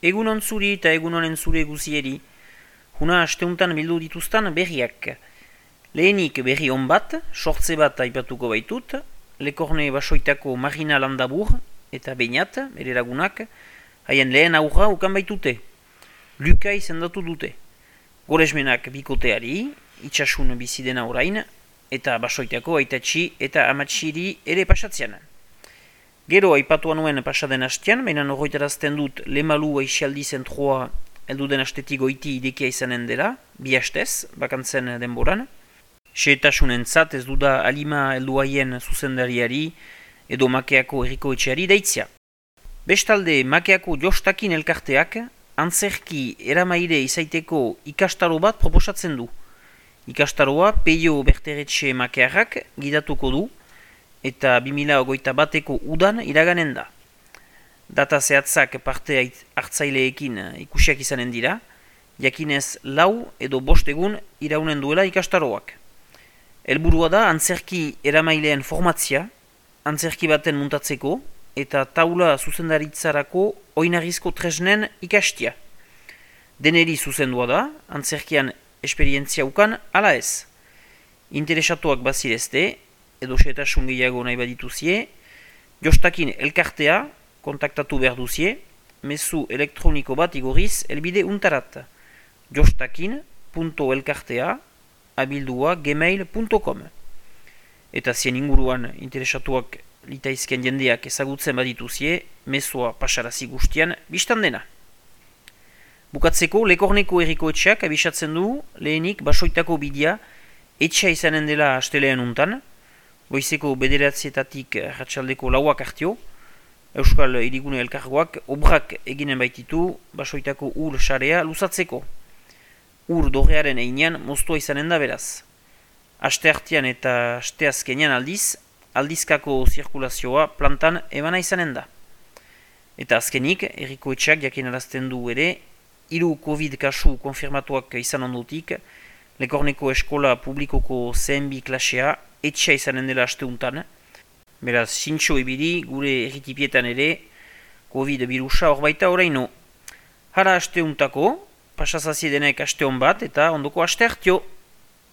Egunon zuri eta egunonen zure guzieri. Huna asteuntan bildu dituztan berriak. Lehenik berri on bat, sortze bat aipatuko baitut, Lekorne basoitako Marina Landabur eta Beñat, bere lagunak, haien lehen aurra ukan baitute. Luka izendatu dute. Goresmenak bikoteari, itxasun bizidena orain, eta basoitako aitatxi eta amatsiri ere pasatzean. Gero aipatuan nuen pasaden hastean, baina horretarazten dut Lemalu aixialdi zentroa elduden astetik goiti idekia izanen dela, bi hastez, bakantzen denboran. Xehetasunen zat ez duda alima helduaien zuzendariari edo Makeako herriko etxeari deitzia. Bestalde Makeako jostakin elkarteak antzerki eramaire izaiteko ikastaro bat proposatzen du. Ikastaroa Peio Berteretxe Makearrak gidatuko du eta 2021ko udan iraganen da. Data zehatzak parte hartzaileekin ikusiak izanen dira, jakinez 4 edo 5 egun iraunen duela ikastaroak. Helburua da antzerki eramaileen formatzia, antzerki baten muntatzeko eta taula zuzendaritzarako oinarrizko tresnen ikastia. Deneri zuzendua da, antzerkian esperientzia ukan ala ez. Interesatuak bazirezte, edo xehetasun gehiago nahi badituzie, jostakin elkartea kontaktatu behar duzie, mezu elektroniko bat igorriz elbide untarat. jostakin.elkartea abildua gmail.com. Eta zien inguruan interesatuak litaizken jendeak ezagutzen badituzie, mezua pasarazi guztian biztan dena. Bukatzeko, Lekorneko herriko etxeak abisatzen du lehenik basoitako bidea etxea izanen dela astelean untan, goizeko 9:00 ratxaldeko 4 hartio, Euskal Hirigune Elkargoak obrak eginen baititu basoitako ur sarea luzatzeko. Ur dorrearen einean moztua izanen da beraz. Aste hartian eta aste azkenean aldizkako zirkulazioa plantan ebana izanen da. Eta azkenik, herriko etxeak jakinarazten du ere, 3 COVID kasu konfirmatuak izan ondotik, Lekorneko eskola publikoko CNB klasea etxea izanen dela asteuntan. Beraz, zintxo ibili gure erritipietan ere, COVID virusa hor baita oraino. Hara asteuntako, pasazazie denek aste hon bat eta ondoko aste hartio.